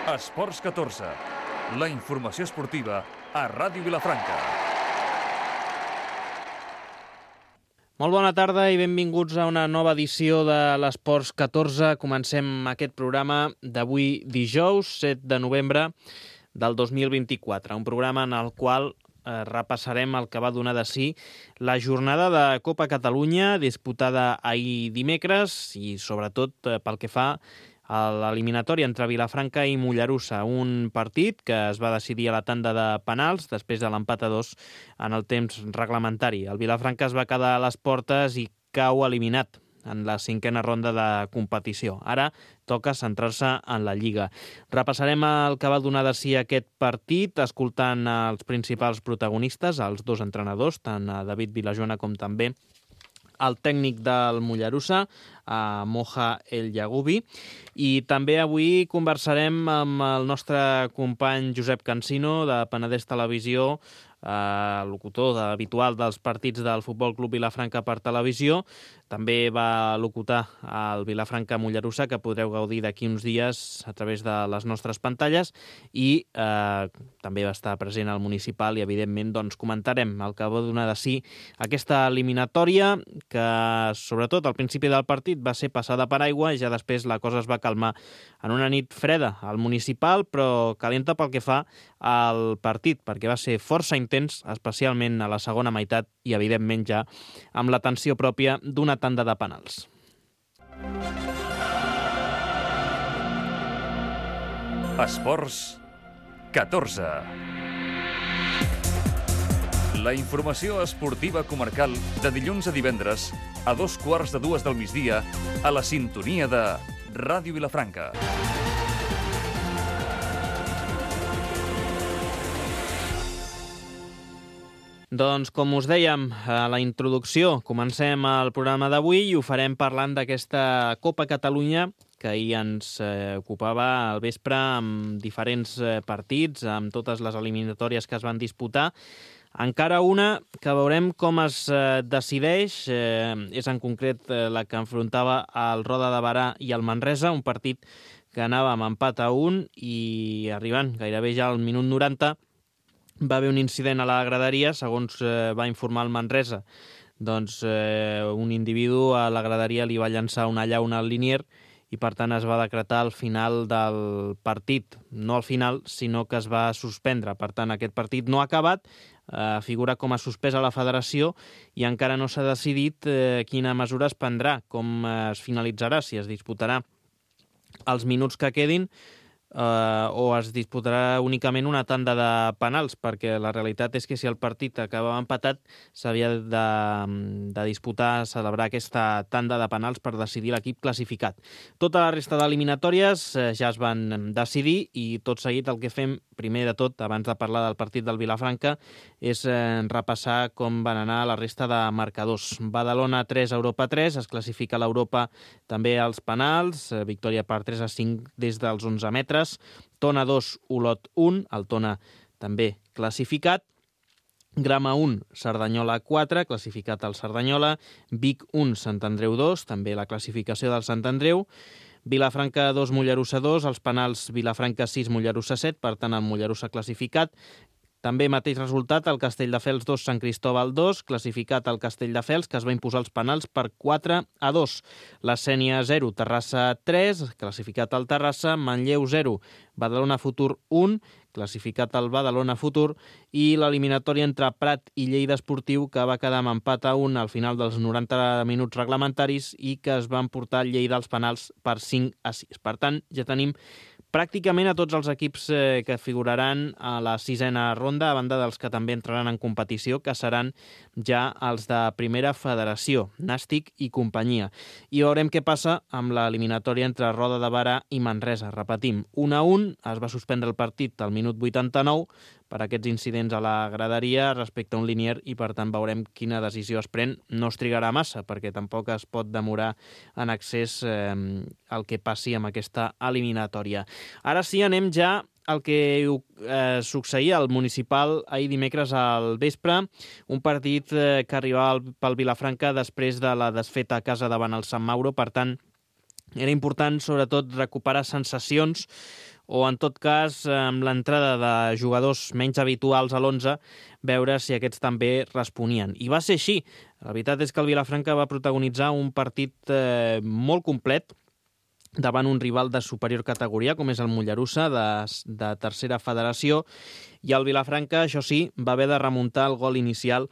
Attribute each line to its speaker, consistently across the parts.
Speaker 1: Esports 14, la informació esportiva a Ràdio Vilafranca.
Speaker 2: Molt bona tarda i benvinguts a una nova edició de l'Esports 14. Comencem aquest programa d'avui dijous, 7 de novembre del 2024. Un programa en el qual repassarem el que va donar de si la jornada de Copa Catalunya disputada ahir dimecres i sobretot pel que fa a l'eliminatòria entre Vilafranca i Mollerussa, un partit que es va decidir a la tanda de penals després de l'empat a 2 en el temps reglamentari. El Vilafranca es va quedar a les portes i cau eliminat en la cinquena ronda de competició. Ara toca centrar-se en la Lliga. Repassarem el que va donar de si aquest partit, escoltant els principals protagonistes, els dos entrenadors, tant a David Vilajoana com també el tècnic del Mollerussa, Moja El Yagubi, i també avui conversarem amb el nostre company Josep Cansino, de Penedès Televisió, locutor habitual dels partits del Futbol Club Vilafranca per televisió. També va locutar el Vilafranca Mollerussa, que podreu gaudir d'aquí uns dies a través de les nostres pantalles, i també va estar present al municipal i, evidentment, doncs, comentarem el que va donar de si aquesta eliminatòria, que sobretot al principi del partit va ser passada per aigua i ja després la cosa es va calmar en una nit freda al municipal, però calenta pel que fa al partit, perquè va ser força intens, especialment a la segona meitat i, evidentment, ja amb la tensió pròpia d'una tanda de penals.
Speaker 1: Esports 14. La informació esportiva comarcal de dilluns a divendres a 2:15 del migdia a la sintonia de Ràdio Vilafranca.
Speaker 2: Doncs, com us dèiem a la introducció, comencem el programa d'avui i ho farem parlant d'aquesta Copa Catalunya que ahir ens ocupava al vespre amb diferents partits, amb totes les eliminatòries que es van disputar. Encara una que veurem com es decideix, és en concret la que enfrontava el Roda de Berà i el Manresa, un partit que anava amb empat a 1 i arribant gairebé ja al minut 90 va haver un incident a la graderia, segons va informar el Manresa. Doncs un individu a la graderia li va llançar una llauna al linier i, per tant, es va decretar el final del partit. No al final, sinó que es va suspendre. Per tant, aquest partit no ha acabat, figura com a suspès a la federació i encara no s'ha decidit quina mesura es prendrà, com es finalitzarà, si es disputarà els minuts que quedin o es disputarà únicament una tanda de penals, perquè la realitat és que si el partit acabava empatat s'havia de disputar, celebrar aquesta tanda de penals per decidir l'equip classificat. Tota la resta d'eliminatòries ja es van decidir i tot seguit el que fem, primer de tot, abans de parlar del partit del Vilafranca, és repassar com van anar la resta de marcadors. Badalona 3, Europa 3, es classifica a l'Europa també als penals, victòria per 3-5 des dels 11 metres, Tona 2, Olot 1, el Tona també classificat, Grama 1, Cerdanyola 4, classificat al Cerdanyola, Vic 1, Sant Andreu 2, també la classificació del Sant Andreu, Vilafranca 2, Mollerussa 2, els penals Vilafranca 6, Mollerussa 7, per tant el Mollerussa classificat. També mateix resultat, el Castelldefels 2, Sant Cristóbal 2, classificat el Castelldefels, que es va imposar els penals per 4-2. La Sénia 0, Terrassa 3, classificat el Terrassa, Manlleu 0, Badalona Futur 1, classificat el Badalona Futur, i l'eliminatòria entre Prat i Lleida Esportiu, que va quedar amb empat a 1 al final dels 90 minuts reglamentaris i que es van portar Lleida als penals per 5-6. Per tant, ja tenim pràcticament a tots els equips que figuraran a la sisena ronda, a banda dels que també entraran en competició, que seran ja els de primera federació, Nàstic i companyia. I veurem què passa amb l'eliminatòria entre Roda de Berà i Manresa. Repetim, 1-1, es va suspendre el partit al minut 89 per aquests incidents a la graderia respecte a un linier i, per tant, veurem quina decisió es pren. No es trigarà massa, perquè tampoc es pot demorar en accés el que passi amb aquesta eliminatòria. Ara sí, anem ja al que succeïa al municipal ahir dimecres al vespre, un partit que arribava pel Vilafranca després de la desfeta a casa davant el Sant Mauro. Per tant, era important, sobretot, recuperar sensacions o en tot cas, amb l'entrada de jugadors menys habituals a l'11, veure si aquests també responien. I va ser així. La veritat és que el Vilafranca va protagonitzar un partit molt complet davant un rival de superior categoria, com és el Mollerussa, de tercera federació, i el Vilafranca, això sí, va haver de remuntar el gol inicial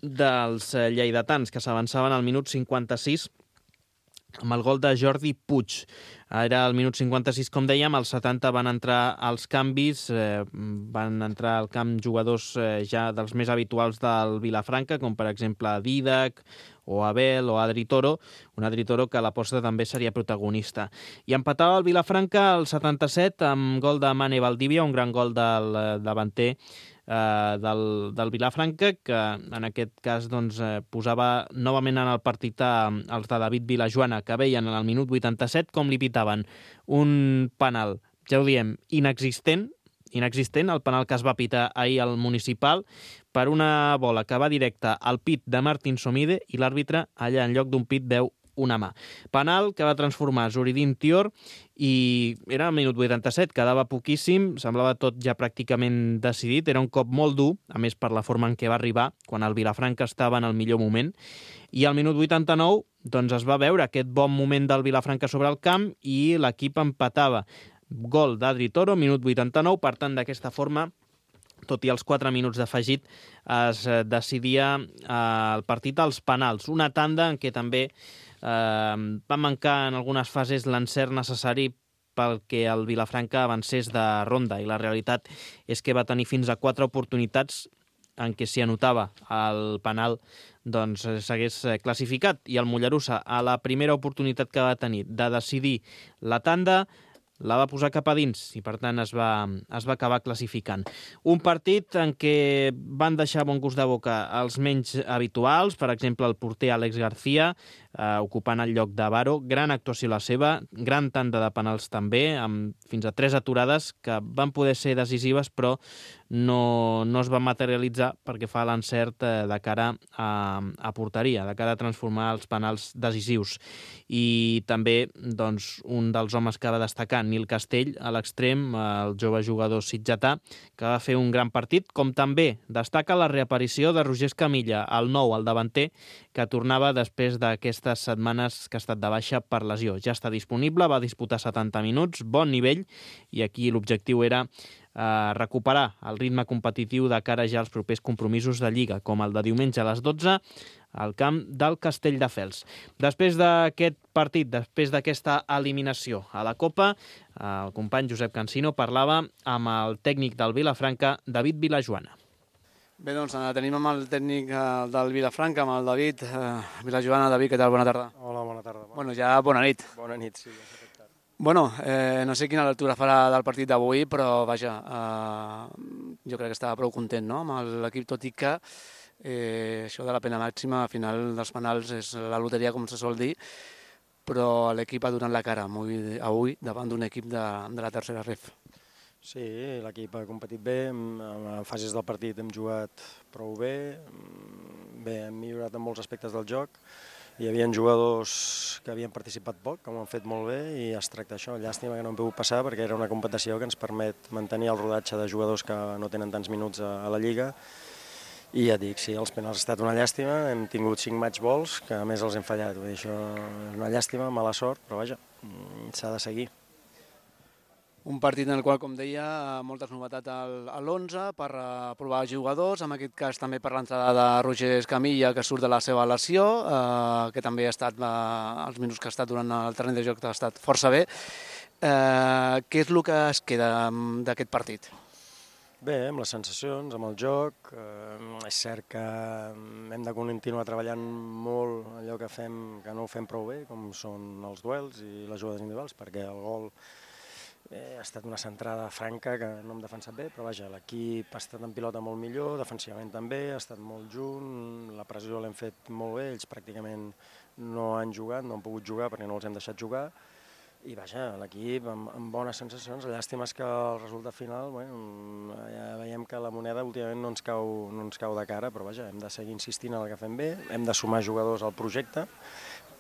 Speaker 2: dels lleidatans, que s'avançaven al minut 56 amb el gol de Jordi Puig. Era al minut 56, com dèiem, als 70 van entrar els canvis, van entrar al camp jugadors ja dels més habituals del Vilafranca, com per exemple Didac, o Abel, o Adri Toro, un Adri Toro que a l'aposta també seria protagonista. I empatava el Vilafranca al 77 amb gol de Mane Valdivia, un gran gol del davanter del Vilafranca, que en aquest cas posava novament en el partit els de David Vilajoana, que veien en el minut 87 com li pitaven un penal, ja ho diem, inexistent, el penal que es va pitar ahir al Municipal, per una bola que va directa al pit de Martín Somide, i l'àrbitre allà en lloc d'un pit veu una mà. Penal que va transformar Zuridín Tior, i era al minut 87, quedava poquíssim, semblava tot ja pràcticament decidit, era un cop molt dur, a més per la forma en què va arribar, quan el Vilafranca estava en el millor moment, i al minut 89 es va veure aquest bon moment del Vilafranca sobre el camp i l'equip empatava. Gol d'Adri Toro, minut 89, per tant, d'aquesta forma, tot i els 4 minuts d'afegit, es decidia el partit als penals. Una tanda en què també va mancar en algunes fases l'encert necessari perquè el Vilafranca avancés de ronda, i la realitat és que va tenir fins a 4 oportunitats en què s'hi anotava el penal s'hagués classificat, i el Mollerussa, a la primera oportunitat que va tenir de decidir la tanda, la va posar cap a dins i, per tant, es va acabar classificant. Un partit en què van deixar bon gust de boca els menys habituals, per exemple, el porter Àlex García, ocupant el lloc de Baro. Gran actuació la seva, gran tanda de penals també, amb fins a 3 aturades que van poder ser decisives, però no es van materialitzar perquè fa l'encert de cara a porteria, de cara a transformar els penals decisius. I també un dels homes que va destacar, Nil Castell, a l'extrem, el jove jugador sitgetà, que va fer un gran partit, com també destaca la reaparició de Roger Escamilla, el nou, el davanter, que tornava després d'aquestes setmanes que ha estat de baixa per lesió. Ja està disponible, va disputar 70 minuts, bon nivell, i aquí l'objectiu era recuperar el ritme competitiu de cara ja als propers compromisos de Lliga, com el de diumenge a les 12 al camp del Castelldefels. Després d'aquest partit, després d'aquesta eliminació a la Copa, el company Josep Cansino parlava amb el tècnic del Vilafranca, David Vilajoana.
Speaker 3: Bé, tenim amb el tècnic del Vilafranca, amb el David Vilajoana. David, què tal? Bona tarda.
Speaker 4: Hola, bona tarda.
Speaker 3: Bueno, ja bona nit.
Speaker 4: Bona nit, sí.
Speaker 3: Bueno, no sé quina lectura farà del partit d'avui, però vaja, jo crec que estava prou content, no?, amb l'equip, tot i que això de la pena màxima, al final dels penals, és la loteria, com se sol dir, però l'equip ha donat la cara avui davant d'un equip de la tercera ref.
Speaker 4: Sí, l'equip ha competit bé, en fases del partit hem jugat prou bé, hem millorat en molts aspectes del joc. Hi havia jugadors que havien participat poc, que ho han fet molt bé, i es tracta això. Llàstima que no hem pogut passar, perquè era una competició que ens permet mantenir el rodatge de jugadors que no tenen tants minuts a la Lliga. I ja et dic, sí, els penals ha estat una llàstima, hem tingut 5 match balls, que a més els hem fallat. Vull dir, això és una llàstima, mala sort, però vaja, s'ha de seguir.
Speaker 3: Un partit en el qual, com deia, moltes novetats a l'11 per provar jugadors, en aquest cas també per l'entrada de Roger Escamilla, que surt de la seva lesió, que també ha estat, els minuts que ha estat durant el terreny de joc ha estat força bé. Què és el que es queda d'aquest partit?
Speaker 4: Bé, amb les sensacions, amb el joc, és cert que hem de continuar treballant molt allò que fem, que no ho fem prou bé, com són els duels i les jugades individuals, perquè el gol ha estat una centrada franca que no hem defensat bé, però vaja, l'equip ha estat en pilota molt millor, defensivament també, ha estat molt junt, la pressió l'hem fet molt bé, ells pràcticament no han jugat, no han pogut jugar perquè no els hem deixat jugar, i vaja, l'equip amb bones sensacions. La llàstima és que el resultat final, ja veiem que la moneda últimament no ens cau de cara, però vaja, hem de seguir insistint en el que fem bé, hem de sumar jugadors al projecte,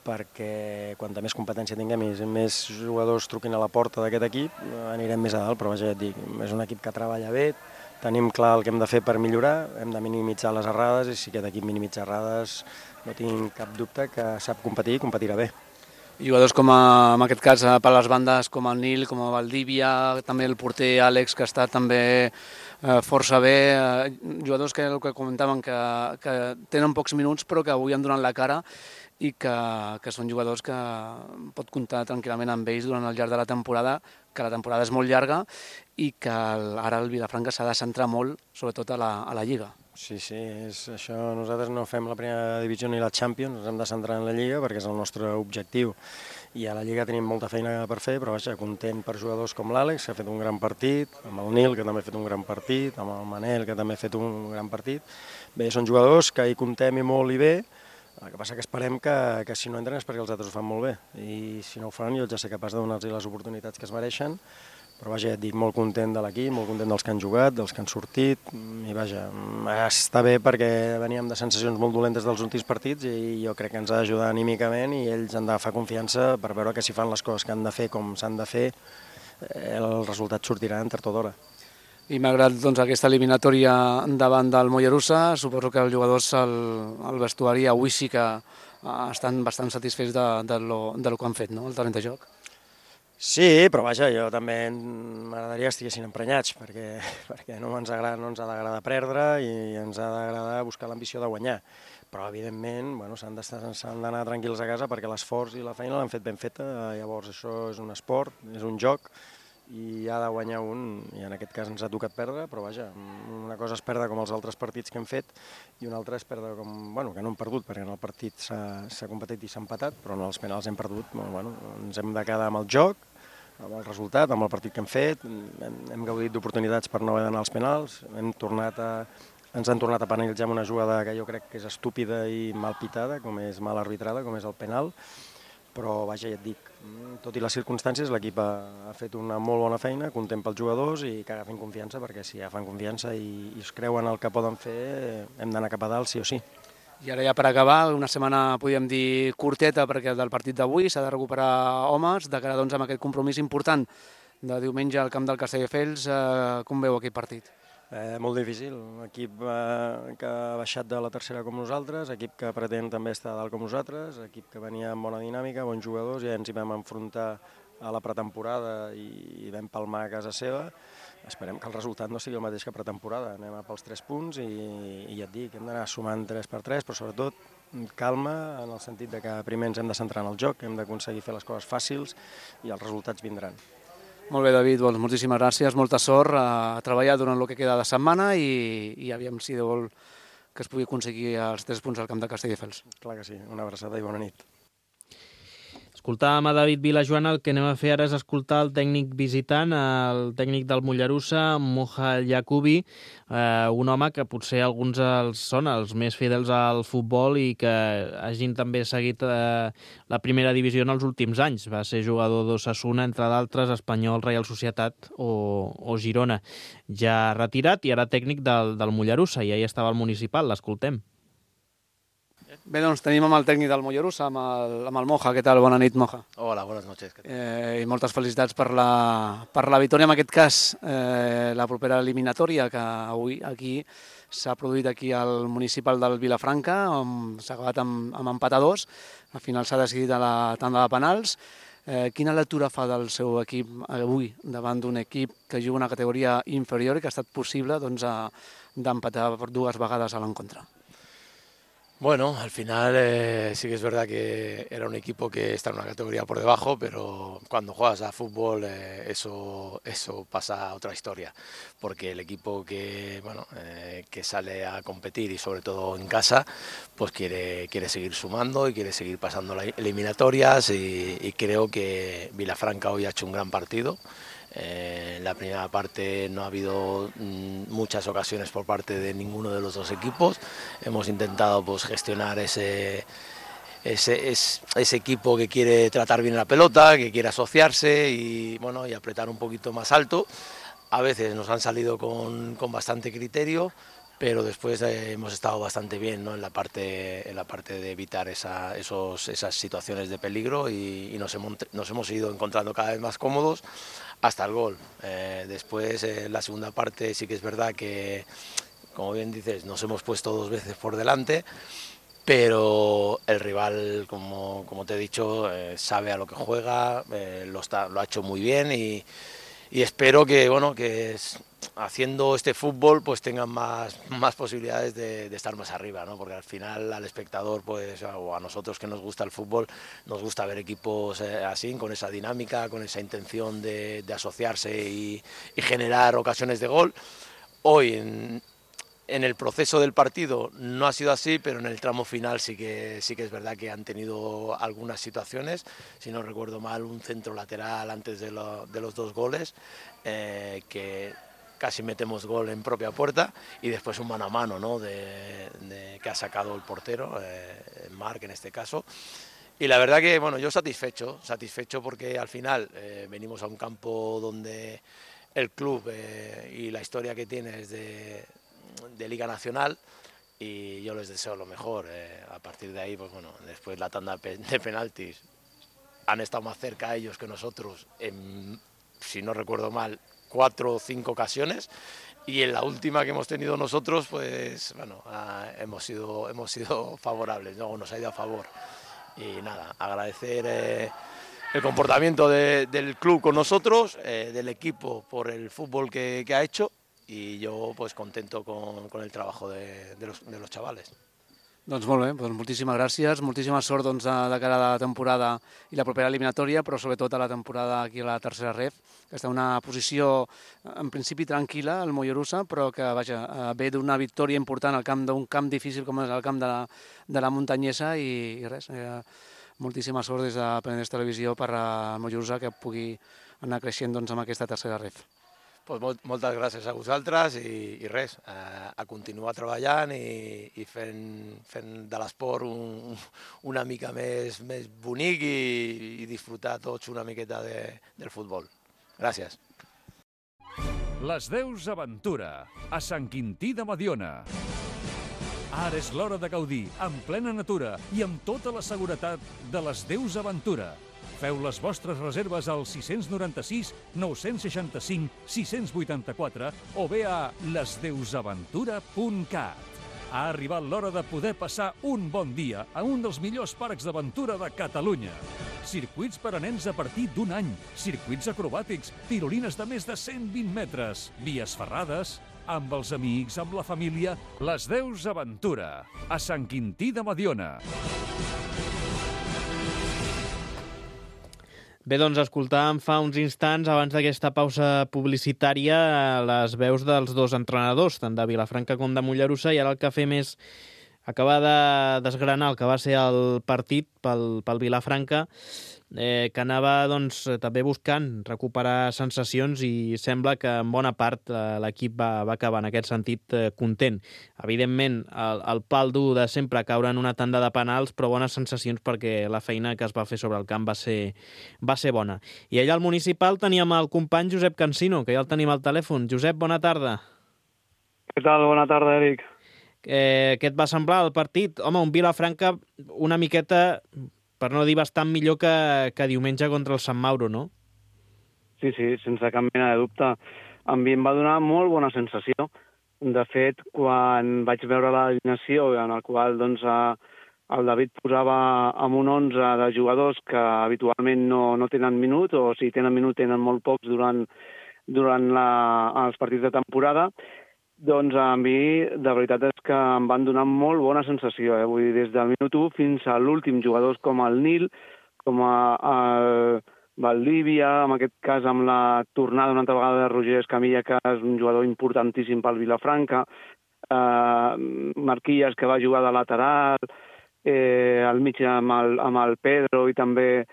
Speaker 4: perquè quanta més competència tinguem i més jugadors truquin a la porta d'aquest equip, anirem més a dalt, però vaja, ja et dic, és un equip que treballa bé, tenim clar el que hem de fer per millorar, hem de minimitzar les errades i si aquest equip minimitza errades no tinc cap dubte que sap competir i competirà bé.
Speaker 3: Jugadors com en aquest cas per les bandes com el Nil, com el Valdívia, també el porter Àlex que està també força bé, jugadors que comentaven que tenen pocs minuts però que avui han donat la cara i que són jugadors que pot comptar tranquil·lament amb ells durant el llarg de la temporada, que la temporada és molt llarga i que ara el Vilafranca s'ha de centrar molt, sobretot a la Lliga.
Speaker 4: Sí, és això. Nosaltres no fem la primera divisió ni la Champions, ens hem de centrar en la Lliga perquè és el nostre objectiu. I a la Lliga tenim molta feina per fer, però vaja, content per jugadors com l'Àlex, que ha fet un gran partit, amb el Nil, que també ha fet un gran partit, amb el Manel, que també ha fet un gran partit. Bé, són jugadors que hi comptem i molt i bé, el que passa que esperem que si no entren és perquè els altres ho fan molt bé. I si no ho fan, jo ja sé capaç de donar-los les oportunitats que es mereixen, però vaja, ja et dic, molt content de l'equip, molt content dels que han jugat, dels que han sortit, i vaja, està bé perquè veníem de sensacions molt dolentes dels últims partits i jo crec que ens ha d'ajudar anímicament i ells han d'agafar confiança per veure que si fan les coses que han de fer com s'han de fer, el resultat sortirà en tard o d'hora.
Speaker 3: I malgrat aquesta eliminatòria davant del Mollerussa, suposo que els jugadors al vestuari avui sí que estan bastant satisfets del que han fet, no?, el terreny de joc.
Speaker 4: Sí, però vaja, jo també m'agradaria que estiguessin emprenyats, perquè no ens ha d'agradar perdre i ens ha d'agradar buscar l'ambició de guanyar. Però, evidentment, s'han d'anar tranquils a casa perquè l'esforç i la feina l'han fet ben feta, llavors això és un esport, és un joc, i ha de guanyar un, i en aquest cas ens ha tocat perdre, però vaja, una cosa és perdre com els altres partits que hem fet i una altra és perdre com, que no hem perdut, perquè en el partit s'ha competit i s'ha empatat, però en els penals hem perdut, ens hem de quedar amb el joc, amb el resultat, amb el partit que hem fet, hem gaudit d'oportunitats per no haver d'anar als penals, ens han tornat a penalitzar amb una jugada que jo crec que és estúpida i mal pitada, com és mal arbitrada, com és el penal, però vaja, ja et dic, tot i les circumstàncies l'equip ha fet una molt bona feina, content pels jugadors i que agafin confiança, perquè si agafen confiança i es creuen el que poden fer, hem d'anar cap a dalt sí o sí.
Speaker 3: I ara ja per acabar, una setmana podríem dir curteta perquè del partit d'avui s'ha de recuperar homes, de cara amb aquest compromís important de diumenge al camp del Castelldefels, com veu aquest partit?
Speaker 4: Molt difícil, un equip que ha baixat de la tercera com nosaltres, equip que pretén també estar dalt com nosaltres, equip que venia amb bona dinàmica, bons jugadors, ja ens hi vam enfrontar a la pretemporada i vam palmar a casa seva. Esperem que el resultat no sigui el mateix que pretemporada, anem a pels 3 punts i ja et dic, hem d'anar sumant 3x3, però sobretot calma en el sentit que primer ens hem de centrar en el joc, hem d'aconseguir fer les coses fàcils i els resultats vindran.
Speaker 3: Molt bé, David, moltíssimes gràcies, molta sort a treballar durant el que queda de setmana i aviam si Déu vol que es pugui aconseguir els 3 punts al camp de Castelldefels.
Speaker 4: Clar que sí, una abraçada i bona nit.
Speaker 2: Escoltàvem a David Vilajoana, el que anem a fer ara és escoltar el tècnic visitant, el tècnic del Mollerussa, Moja Yacubi, un home que potser alguns són els més fidels al futbol i que hagin també seguit la primera divisió en els últims anys. Va ser jugador d'Osasuna, entre d'altres, Espanyol, Reial Societat o Girona. Ja retirat i ara tècnic del Mollerussa, i ahí estava el municipal, l'escoltem.
Speaker 3: Bé, doncs tenim amb el tècnic del Mollerussa, amb el Moja. Què tal? Bona nit, Moja.
Speaker 5: Hola, buenas noches.
Speaker 3: I moltes felicitats per la victòria, en aquest cas, la propera eliminatòria, que avui aquí s'ha produït aquí al municipal del Vilafranca, s'ha acabat amb empat a 2, al final s'ha decidit a la tanda de penals. Quina lectura fa del seu equip avui davant d'un equip que juga una categoria inferior i que ha estat possible d'empatar per 2 vegades a l'encontre?
Speaker 5: Bueno, al final sí que es verdad que era un equipo que está en una categoría por debajo, pero cuando juegas a fútbol eso pasa a otra historia, porque el equipo que sale a competir y sobre todo en casa, pues quiere seguir sumando y quiere seguir pasando las eliminatorias y creo que Vilafranca hoy ha hecho un gran partido. En la primera parte no ha habido muchas ocasiones por parte de ninguno de los dos equipos. Hemos intentado gestionar ese equipo que quiere tratar bien la pelota, que quiere asociarse y apretar un poquito más alto. A veces nos han salido con bastante criterio, pero después hemos estado bastante bien, ¿no? en la parte de evitar esas situaciones de peligro y nos hemos ido encontrando cada vez más cómodos hasta el gol. Después, la segunda parte sí que es verdad que, como bien dices, nos hemos puesto 2 veces por delante, pero el rival, como te he dicho, sabe a lo que juega, lo ha hecho muy bien y espero que, haciendo este fútbol pues tengan más posibilidades de estar más arriba, ¿no? Porque al final al espectador pues, o a nosotros que nos gusta el fútbol, nos gusta ver equipos así, con esa dinámica, con esa intención de asociarse y generar ocasiones de gol. Hoy en el proceso del partido no ha sido así, pero en el tramo final sí que es verdad que han tenido algunas situaciones. Si no recuerdo mal, un centro lateral antes de los 2 goles, que casi metemos gol en propia puerta, y después un mano a mano, ¿no? que ha sacado el portero, Marc en este caso. Y la verdad que yo satisfecho porque al final venimos a un campo donde el club y la historia que tiene es de Liga Nacional, y yo les deseo lo mejor. A partir de ahí, pues después la tanda de penaltis han estado más cerca ellos que nosotros si no recuerdo mal, 4 o 5 ocasiones, y en la última que hemos tenido nosotros, pues hemos sido favorables, ¿no? Nos ha ido a favor. Y nada, agradecer el comportamiento del club con nosotros, del equipo por el fútbol que ha hecho, y yo pues contento con el trabajo de los chavales.
Speaker 3: Doncs molt bé, doncs moltíssimes gràcies, moltíssima sort de cara a la temporada i la propera eliminatòria, però sobretot a la temporada aquí a la tercera ref, que està en una posició en principi tranquil·la, el Mollerussa, però que ve d'una victòria important al camp d'un camp difícil com és el camp de la Muntanyesa, i res, moltíssima sort des de Penedès Televisió per al Mollerussa, que pugui anar creixent amb aquesta tercera ref.
Speaker 5: Pues moltes gràcies a vosaltres i res, a continuar treballant i fent de l'esport una mica més bonic i disfrutar tots una miqueta del futbol. Gràcies.
Speaker 1: Les Deus Aventura, a Sant Quintí de Mediona. Ara és l'hora de gaudir, en plena natura i amb tota la seguretat de les Deus Aventura. Feu les vostres reserves al 696 965 684 o bé a lesdeusaventura.cat. Ha arribat l'hora de poder passar un bon dia a un dels millors parcs d'aventura de Catalunya. Circuits per a nens a partir d'1 any, circuits acrobàtics, tirolines de més de 120 metres, vies ferrades, amb els amics, amb la família. Les Deus Aventura, a Sant Quintí de Mediona.
Speaker 2: Bé, doncs escoltàvem fa uns instants, abans d'aquesta pausa publicitària, les veus dels 2 entrenadors, tant de Vilafranca com de Mollerussa, i ara el que fem és acabar de desgranar el que va ser el partit pel Vilafranca, que anava també buscant recuperar sensacions, i sembla que en bona part l'equip va acabar en aquest sentit content. Evidentment, el pal dur de sempre caure en una tanda de penals, però bones sensacions perquè la feina que es va fer sobre el camp va ser bona. I allà al Municipal teníem el company Josep Cansino, que ja el tenim al telèfon. Josep, bona tarda.
Speaker 6: Què tal? Bona tarda, Eric.
Speaker 2: Què et va semblar el partit? Home, un Vilafranca una miqueta, per no dir bastant millor que diumenge contra el Sant Mauro, no?
Speaker 6: Sí, sense cap mena de dubte. A mi em va donar molt bona sensació. De fet, quan vaig veure l'alineació en el qual el David posava amb un 11 de jugadors que habitualment no tenen minut, o si tenen minut tenen molt pocs durant els partits de temporada, doncs a mi de veritat és que em van donar molt bona sensació. Vull dir, des del minut 1 fins a l'últim, jugadors com el Nil, com el Valdívia, en aquest cas amb la tornada una altra vegada de Roger Escamilla, que és un jugador importantíssim pel Vilafranca, Marquilles, que va jugar de lateral, al mig amb el Pedro i també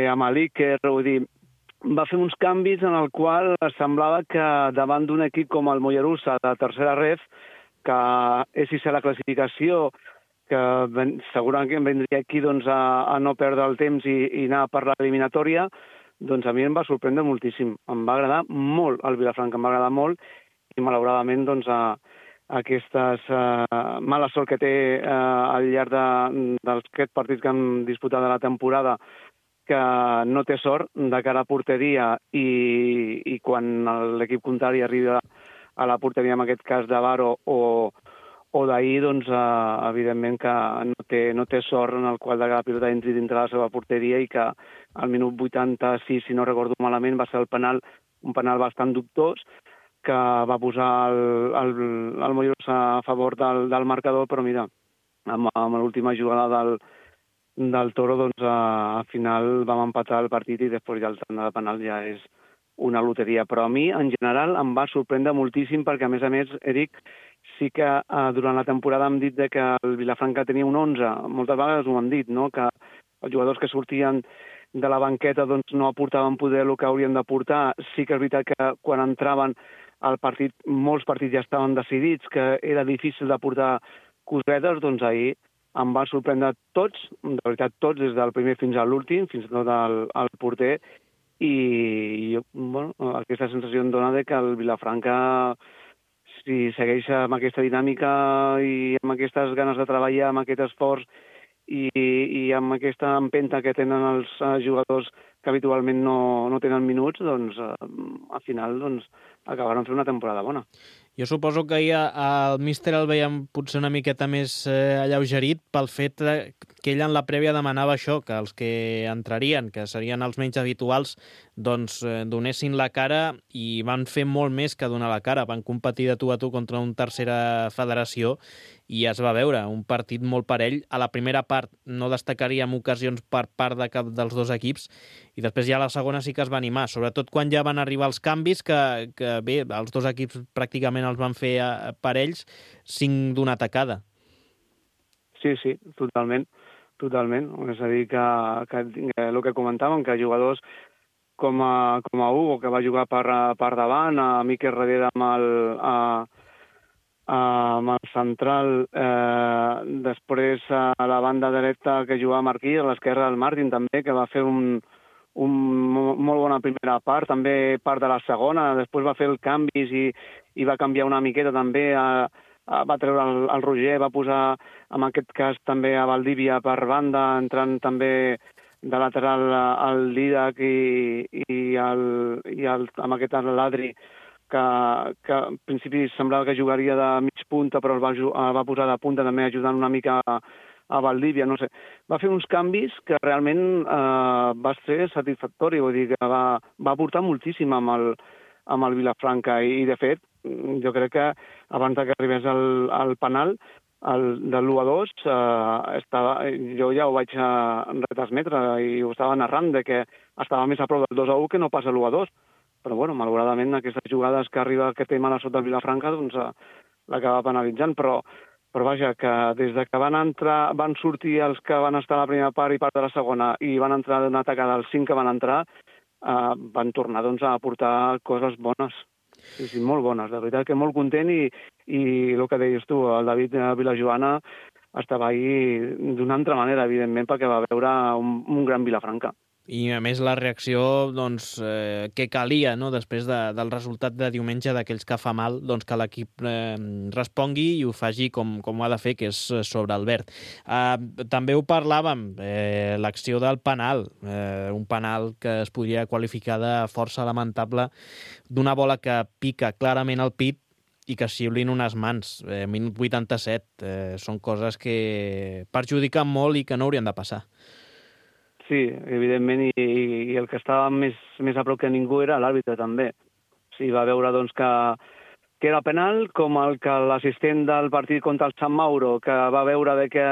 Speaker 6: amb l'Iker. Vull dir, va fer uns canvis en el qual semblava que davant d'un equip com el Mollerussa de tercera ref, que és si la classificació, que segurament vendria aquí a no perdre el temps i anar per l'eliminatòria, doncs a mi em va sorprendre moltíssim. Em va agradar molt el Vilafranca, em va agradar molt, i malauradament aquestes mala sort que té al llarg d'aquests partits que han disputat de la temporada, que no té sort de cara a porteria i quan l'equip contrari arriba a la porteria, en aquest cas de Varo o d'ahir, doncs evidentment que no té sort en el qual de cada pilota entri dintre la seva porteria i que al minut 86, si no recordo malament, va ser un penal bastant dubtós, que va posar el Mollerussa a favor del marcador, però mira, amb l'última jugada del Toro, doncs al final vam empatar el partit i després ja el tant de penal ja és una loteria. Però a mi, en general, em va sorprendre moltíssim perquè, a més, Eric, sí que durant la temporada hem dit que el Vilafranca tenia un 11. Moltes vegades ho han dit, no?, que els jugadors que sortien de la banqueta doncs no aportaven poder el que haurien d'aportar. Sí que és veritat que quan entraven al partit, molts partits ja estaven decidits, que era difícil de portar cosetes, doncs ahir em va sorprendre tots, de veritat tots, des del primer fins a l'últim, fins i tot el porter, i bueno, aquesta sensació em dona que el Vilafranca, si segueix amb aquesta dinàmica i amb aquestes ganes de treballar, amb aquest esforç i amb aquesta empenta que tenen els jugadors que habitualment no tenen minuts, doncs al final acabaran fent una temporada bona.
Speaker 2: Jo suposo que ahir el míster el veiem potser una miqueta més alleugerit pel fet que ell en la prèvia demanava això, que els que entrarien, que serien els menys habituals, doncs donessin la cara, i van fer molt més que donar la cara. Van competir de tu a tu contra una tercera federació i es va veure un partit molt parell. A la primera part no destacaríem ocasions per part de cap dels dos equips, i després ja a la segona sí que es va animar, sobretot quan ja van arribar els canvis, que bé, els dos equips pràcticament els van fer parells, 5 d'una tacada.
Speaker 6: Sí, totalment. És a dir, que el que comentàvem, que jugadors com a Hugo, que va jugar per davant, a Miquel darrere amb el central, després a la banda dreta que jugava Marquí, a l'esquerra del Martin també, que va fer un molt bona primera part, també part de la segona, després va fer el canvis i va canviar una miqueta també, va treure el Roger, va posar en aquest cas també a Valdívia per banda, entrant també de lateral al Didac i amb aquest Ladri, que en principi semblava que jugaria de mig punta, però el va posar de punta també, ajudant una mica a Valdívia, no sé. Va fer uns canvis que realment va ser satisfactori, vull dir que va aportar moltíssim amb el Vilafranca i de fet, jo crec que abans que arribés el penal, de l'1-2, jo ja ho vaig retransmetre i ho estava narrant, que estava més a prop del 2-1 que no pas a l'1-2. Però, bueno, malauradament, aquestes jugades que té mala sota el Vilafranca, doncs l'acaba penalitzant. Però vaja, que des de que van sortir els que van estar a la primera part i part de la segona i van entrar d'una tacada als 5 que van entrar, van tornar doncs, a aportar coses bones. Sí, molt bones, de veritat que molt content i el que deies tu, el David Vilajoana estava ahí d'una altra manera, evidentment, perquè va veure un gran Vilafranca.
Speaker 2: I, a més, la reacció doncs, que calia, no?, després del resultat de diumenge, d'aquells que fa mal, doncs que l'equip respongui i ho faci com ho ha de fer, que és sobre el verd. També ho parlàvem, l'acció del penal, un penal que es podria qualificar de força lamentable, d'una bola que pica clarament al pit i que xiulin unes mans. Minut 87. Són coses que perjudiquen molt i que no haurien de passar.
Speaker 6: Sí, evidentment, i el que estava més a prop que ningú era l'àrbitre també. Sí, va veure doncs, que era penal, com el que l'assistent del partit contra el Sant Mauro, que va veure que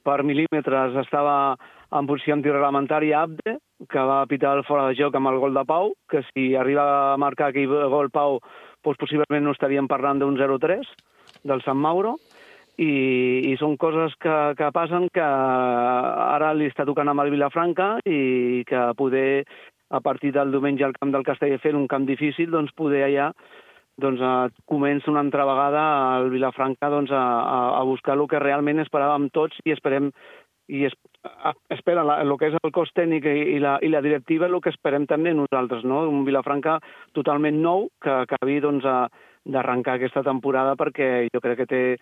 Speaker 6: per mil·límetres estava en posició antireglamentària Abde, que va pitar el fora de joc amb el gol de Pau, que si arriba a marcar aquell gol Pau, doncs possiblement no estaríem parlant d'un 0-3 del Sant Mauro, i són coses que passen, que ara li està tocant amb el Vilafranca i que poder, a partir del diumenge al camp del Castelldefels, un camp difícil, doncs poder allà comença una altra vegada el Vilafranca a buscar el que realment esperàvem tots i esperem espera el que és el cos tècnic i la directiva, el que esperem també nosaltres, no? Un Vilafranca totalment nou, que acabi d'arrencar aquesta temporada, perquè jo crec que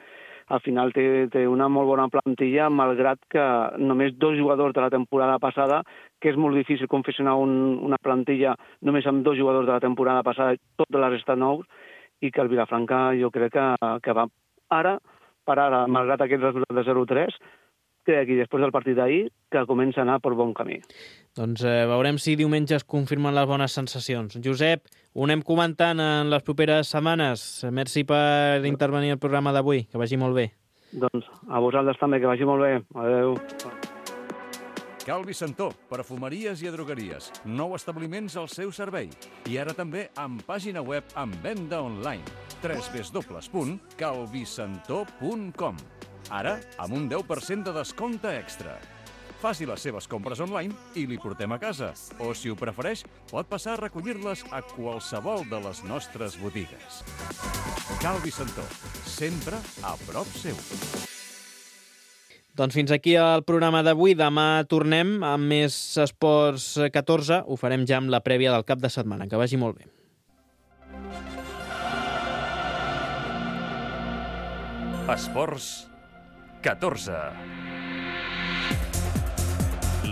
Speaker 6: al final té una molt bona plantilla, malgrat que només 2 jugadors de la temporada passada, que és molt difícil confeccionar una plantilla només amb 2 jugadors de la temporada passada, tots de la resta nous, i que el Vilafranca jo crec que va ara, malgrat aquest resultat de 0-3, crec que després del partit d'ahir, que comença a anar per bon camí.
Speaker 2: Doncs veurem si diumenge es confirmen les bones sensacions. Josep, ho anem comentant en les properes setmanes. Merci per intervenir al programa d'avui. Que vagi molt bé.
Speaker 6: Doncs a vosaltres també, que vagi molt bé. Adéu.
Speaker 1: Cal Vicentó, perfumeries i drogueries. 9 establiments al seu servei. I ara també amb pàgina web amb venda online. www.calvicentó.com. Ara, amb un 10% de descompte extra. Faci les seves compres online i li portem a casa. O, si ho prefereix, pot passar a recollir-les a qualsevol de les nostres botigues. Cal Vicentó, sempre a prop seu.
Speaker 2: Doncs fins aquí el programa d'avui. Demà tornem amb més Esports 14. Ho farem ja amb la prèvia del cap de setmana. Que vagi molt bé.
Speaker 1: Esports 14.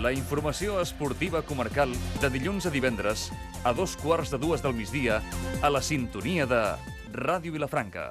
Speaker 1: La informació esportiva comarcal de dilluns a divendres a 2:15 del migdia a la sintonia de Ràdio Vilafranca.